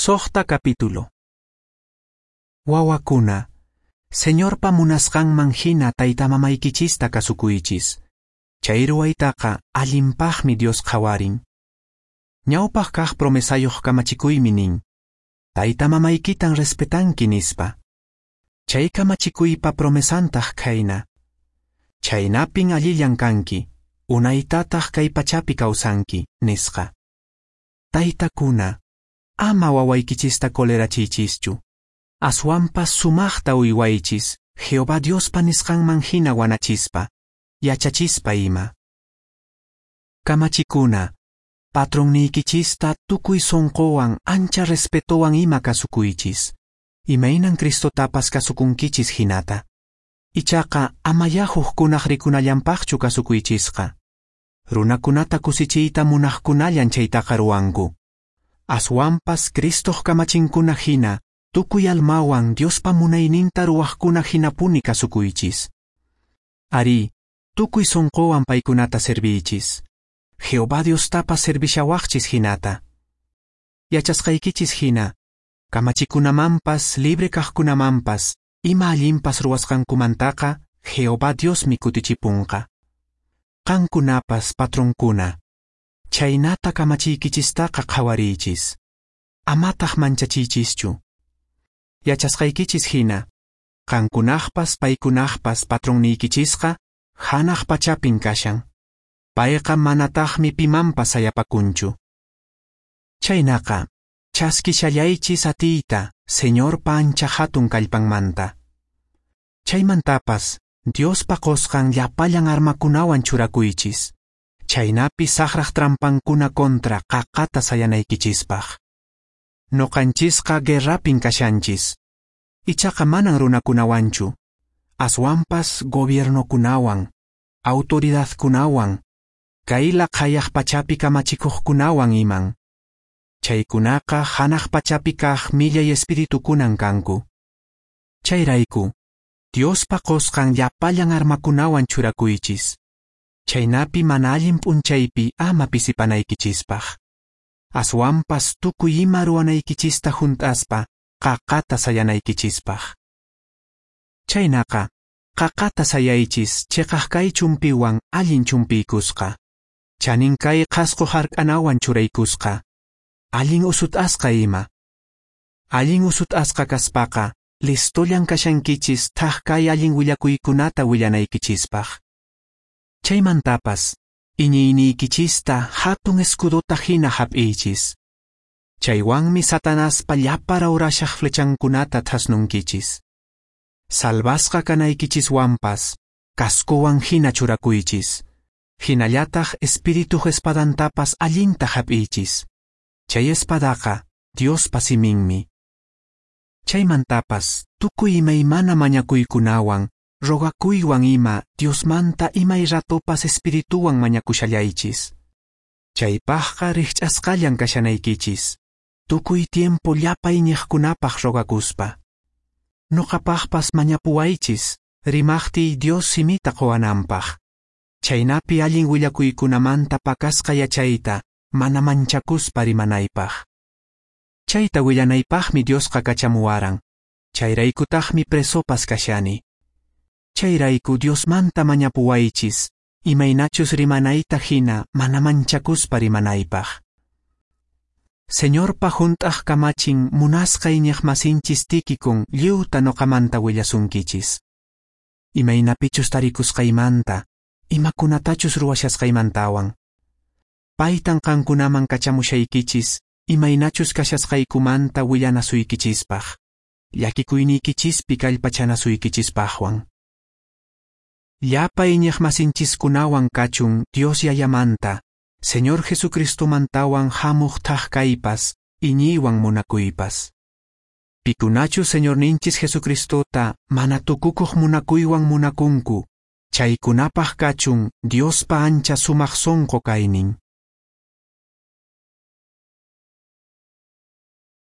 Soqta capítulo. Wawakuna, Señorpa munasqanman hina taytamamaykichista kasukuychis. Chay ruwaytaqa allinpaqmi Dios qhawarin. Ñawpaq kaq promesayuq kamachikuymi nin: Taytamamaykitan respetanki nispa. Chay kamachikuypa promesantaq khayna: Chaynapin allillan kanki, unaytataq kay pachapi kawsanki, nisqa. Taytakuna, ama wawaykichista colerachiychischu. Aswanpas sumaqta uywaychis, Jehová Diospa nisqanman hina wanachispa, yachachispa ima. Kamachikuna, patronniykichista tukuy sonqowan ancha respetowan ima kasukuychis, imaynan Cristotapas kasukunkichis hinata. Ichaqa amayá hukkunaq rikunallanpaqchu kasukuychisqa. Runakunata kusichiyta munaqkunallan chaytaqa ruwanku. Aswanpas Cristoq kamachinkuna hina, tukuy almawan Diospa munayninta ruwaqkuna hinapuni kasukuychis. Arí, tukuy sonqowan paykunata serviychis. Jehová Diostapas servishawaqchis hinata. Yachasqaykichis hina, kamachikunamanpas libre kaqkunamanpas ima allinpas ruwasqankumantaqa Jehová Diosmi kutichipunqa. Qankunapas patronkuna, chaynata kamachiykichistaqa qhawariychis. Amataq manchachiychischu. Yachasqaykichis hina, qankunaqpas paykunaqpas patronniykichisqa hanaq pachapin kashan. Payqa manataqmi pimanpas sayapakunchu. Chaynaqa, chaskishallaychis atiyta Señorpa ancha hatun kallpanmanta. Chaymantapas, Diospa qosqan llapallan armakunawan churakuychis. Chaynapi saqraq trampankuna contra qaqata sayanaykichispaq. Noqanchisqa guerrapin kashanchis. Ichaqa manan runakunawanchu. Aswanpas gobiernokunawan, autoridadkunawan, kay laqhayaq pachapi kamachikuqkunawan iman. Chaykunaqa hanaq pachapi kaq millay espiritukunan kanku. Chayrayku, Diospa qosqan llapallan armakunawan churakuychis. Chaynapi mana allin p'unchaypi ama pisipanaykichispaq. Aswanpas tukuy ima ruwanaykichista hunt'aspa qaqata sayanaykichispaq. Chaynaqa, qaqata sayaychis cheqaq kay chumpiwan allin chumpiykusqa. Chanin kay qhasqo hark'anawan churaykusqa. Allin usut'asqa ima. Allin usut'asqa kaspaqa, listollan kashankichis thaq kay allin willakuykunata willanaykichispaq. Chaymantapas, iñiyniykichista hatun escudota hina hap'iychis. Chaywanmi Satanaspa llapa rawrashaq flechankunata thasnunkichis. Salvasqa kanaykichiswanpas, cascowan hina churakuychis. Hinallataq espirituq espadantapas allinta hap'iychis. Chay espadaqa Diospa siminmi. Chaymantapas tukuy imaymana mañakuykunawan, rogakuywan ima Diosmanta imay ratopas espirituwan mañakushallaychis. Chaypaqqa rikch'asqallan kashanaykichis, tukuy tiempo llapa iñiqkunapaq rogakuspa. Noqapaqpas mañapuwaychis, rimaqtiy Dios simita quwananpaq. Chaynapi allin willakuykunamanta pakasqa yachayta mana manchakuspa rimanaypaq. Chayta willanaypaqmi Diosqa kachamuwaran, chayraykutaqmi presopas kashani. Chayrayku Diosmanta mañapuwaychis, imaynachus rimanayta hina mana manchakuspa rimanaypaq. Señorpa hunt'aq kamachin munasqa iñiqmasinchis Tíquicon lliwta noqamanta willasunkichis. Imaynapichus tarikusqaymanta, imakunatachus ruwashasqaymantawan. Paytan qankunaman kachamushaykichis, imaynachus kashasqaykumanta willanasuykichispaq, llakikuyniykichispi kallpachanasuykichispaqwan. Llapa iñiqmasinchiskunawan kachun Dios Yayamanta, Señor Jesucristomantawan hamuq thaq kaypas, iñiywan munakuypas. Pikunachus Señorninchis Jesucristota mana tukukuq munakuywan munakunku, chaykunapaq kachun Diospa ancha sumaq sonqo kaynin.